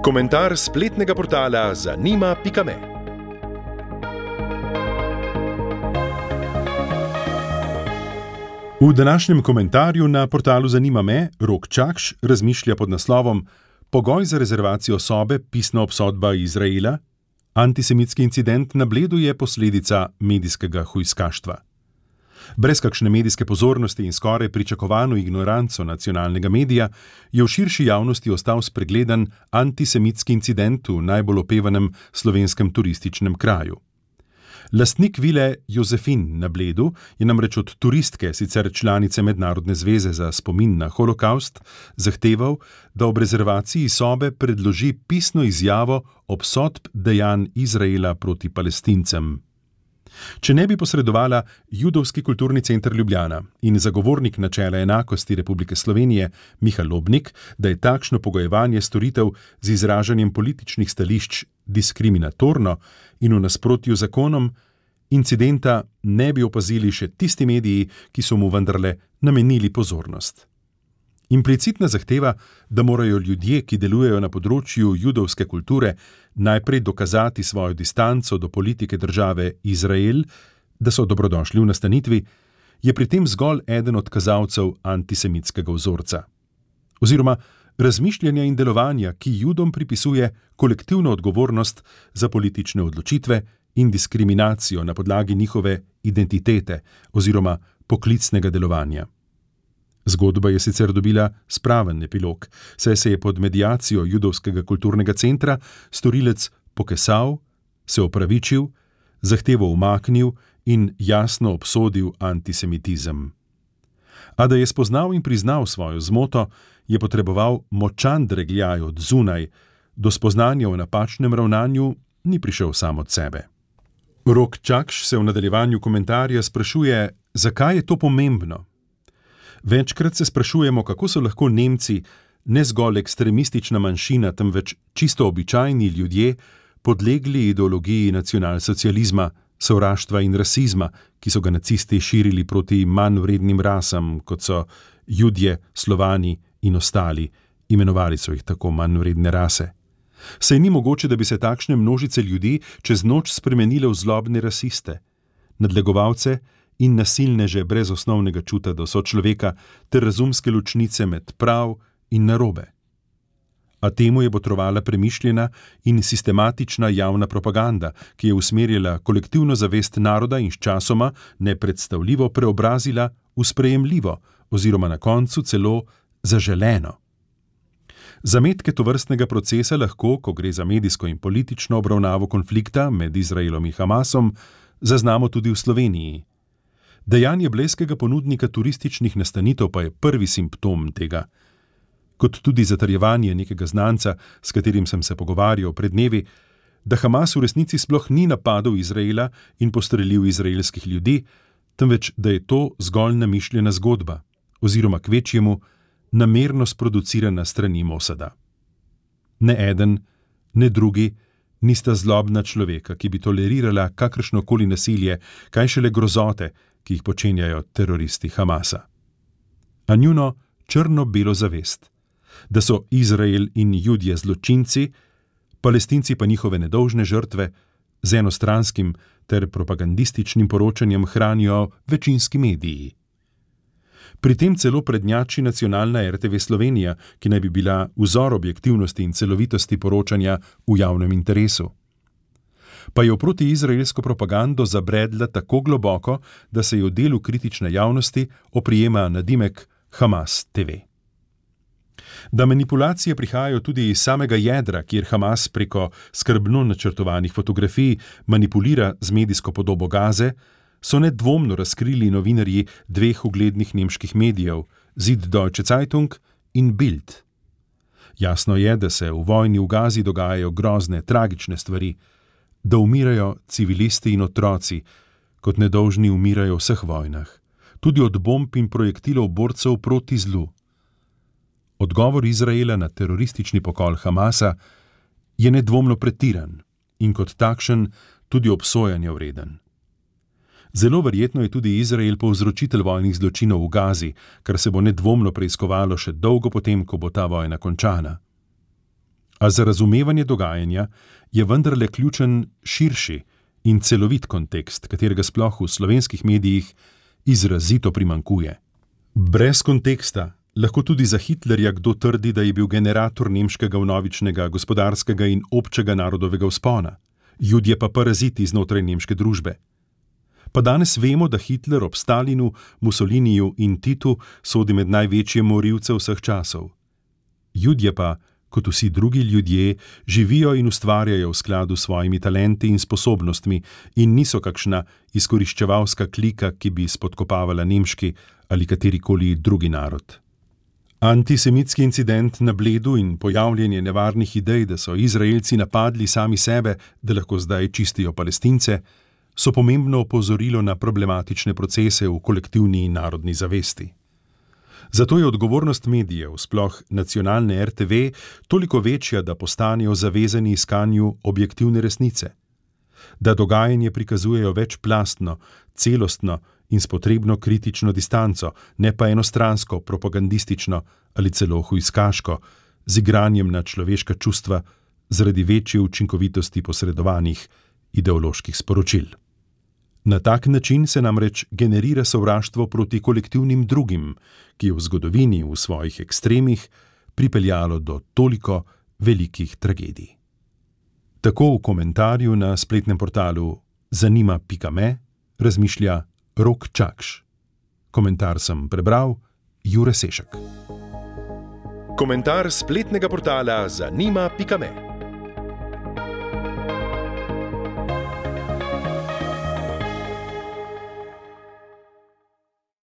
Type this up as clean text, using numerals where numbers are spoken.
Komentar spletnega portala zanima.me. V današnjem komentarju na portalu Zanima.me Rok Čakš razmišlja pod naslovom Pogoj za rezervacijo sobe, pisna obsodba Izraela, antisemitski incident na Bledu je posledica medijskega hujskaštva. Brez kakšne medijske pozornosti in skoraj pričakovano ignoranco nacionalnega medija je v širši javnosti ostal spregledan antisemitski incident v najbolj opevanem slovenskem turističnem kraju. Lastnik vile Jozefin na Bledu je namreč od turistke, sicer članice Mednarodne zveze za spomin na holokaust, zahteval, da ob rezervaciji sobe predloži pisno izjavo obsodb dejanj Izraela proti Palestincem. Če ne bi posredovala Judovski kulturni center Ljubljana in zagovornik načela enakosti Republike Slovenije Miha Lobnik, da je takšno pogojevanje storitev z izražanjem političnih stališč diskriminatorno in v nasprotju z zakonom, incidenta ne bi opazili še tisti mediji, ki so mu vendarle namenili pozornost. Implicitna zahteva, da morajo ljudje, ki delujejo na področju judovske kulture, najprej dokazati svojo distanco do politike države Izrael, da so dobrodošli v nastanitvi, je pri tem zgolj eden od kazalcev antisemitskega vzorca. Oziroma razmišljanja in delovanja, ki Judom pripisuje kolektivno odgovornost za politične odločitve in diskriminacijo na podlagi njihove identitete oziroma poklicnega delovanja. Zgodba je sicer dobila spraven epilog, saj se je pod mediacijo Judovskega kulturnega centra storilec pokesal, se opravičil, zahtevo umaknil in jasno obsodil antisemitizem. A da je spoznal in priznal svojo zmoto, je potreboval močan dregljaj od zunaj, do spoznanja o napačnem ravnanju ni prišel sam od sebe. Rok Čakš se v nadaljevanju komentarja sprašuje, zakaj je to pomembno. Večkrat se sprašujemo, kako so lahko Nemci, ne zgolj ekstremistična manjšina, temveč čisto običajni ljudje, podlegli ideologiji nacionalsocializma, sovraštva in rasizma, ki so ga nacisti širili proti manj vrednim rasam, kot so Judje, Slovani in ostali, imenovali so jih tako manj vredne rase. Saj ni mogoče, da bi se takšne množice ljudi čez noč spremenile v zlobne rasiste, nadlegovalce in nasilneže brez osnovnega čuta do sočloveka ter razumske ločnice med prav in narobe. A temu je botrovala premišljena in sistematična javna propaganda, ki je usmerjala kolektivno zavest naroda in sčasoma nepredstavljivo preobrazila v sprejemljivo oziroma na koncu celo zaželeno. Zametke tovrstnega procesa lahko, ko gre za medijsko in politično obravnavo konflikta med Izraelom in Hamasom, zaznamo tudi v Sloveniji. Dejanje blejskega ponudnika turističnih nastanitev pa je prvi simptom tega. Kot tudi zatrjevanje nekega znanca, s katerim sem se pogovarjal pred dnevi, da Hamas v resnici sploh ni napadel Izraela in postrelil izraelskih ljudi, temveč da je to zgolj namišljena zgodba, oziroma kvečjemu namerno sproducirana strani Mosada. Ne eden, ne drugi nista zlobna človeka, ki bi tolerirala kakršnokoli nasilje, kaj šele grozote, ki jih počenjajo teroristi Hamasa. A njuno črno-belo zavest, da so Izrael in Judje zločinci, Palestinci pa njihove nedolžne žrtve, z enostranskim ter propagandističnim poročanjem hranijo večinski mediji. Pri tem celo prednjači nacionalna RTV Slovenija, ki naj bi bila vzor objektivnosti in celovitosti poročanja v javnem interesu. Pa je v protiizraelsko propagando zabredla tako globoko, da se je v delu kritične javnosti oprijema nadimek Hamas TV. Da manipulacije prihajajo tudi iz samega jedra, kjer Hamas preko skrbno načrtovanih fotografij manipulira z medijsko podobo Gaze, so nedvomno razkrili novinarji dveh uglednih nemških medijev, Süddeutsche Zeitung in Bild. Jasno je, da se v vojni v Gazi dogajajo grozne, tragične stvari, da umirajo civilisti in otroci, kot nedolžni umirajo v vseh vojnah, tudi od bomb in projektilov borcev proti zlu. Odgovor Izraela na teroristični pokol Hamasa je nedvomno pretiran in kot takšen tudi obsojanja vreden. Zelo verjetno je tudi Izrael povzročitelj vojnih zločinov v Gazi, kar se bo nedvomno preiskovalo še dolgo potem, ko bo ta vojna končana. A za razumevanje dogajanja je vendarle ključen širši in celovit kontekst, katerega sploh v slovenskih medijih izrazito primanjkuje. Brez konteksta lahko tudi za Hitlerja kdo trdi, da je bil generator nemškega vnovičnega gospodarskega in občega narodovega vzpona, Judje pa paraziti znotraj nemške družbe. Pa danes vemo, da Hitler ob Stalinu, Mussoliniju in Titu sodi med največje morilce vseh časov. Judje pa, kot vsi drugi ljudje, živijo in ustvarjajo v skladu s svojimi talenti in sposobnostmi in niso kakšna izkoriščevalska klika, ki bi spodkopavala nemški ali katerikoli drugi narod. Antisemitski incident na Bledu in pojavljanje nevarnih idej, da so Izraelci napadli sami sebe, da lahko zdaj čistijo Palestince, so pomembno opozorilo na problematične procese v kolektivni in narodni zavesti. Zato je odgovornost medijev, sploh nacionalne RTV, toliko večja, da postanejo zavezani iskanju objektivne resnice. Da dogajanje prikazujejo večplastno, celostno in s potrebno kritično distanco, ne pa enostransko, propagandistično ali celo hujskaško, z igranjem na človeška čustva zaradi večje učinkovitosti posredovanih ideoloških sporočil. Na tak način se namreč generira sovraštvo proti kolektivnim drugim, ki je v zgodovini v svojih ekstremih pripeljalo do toliko velikih tragedij. Tako v komentarju na spletnem portalu zanima.me razmišlja Rok Čakš. Komentar sem prebral Jure Sešek. Komentar spletnega portala zanima.me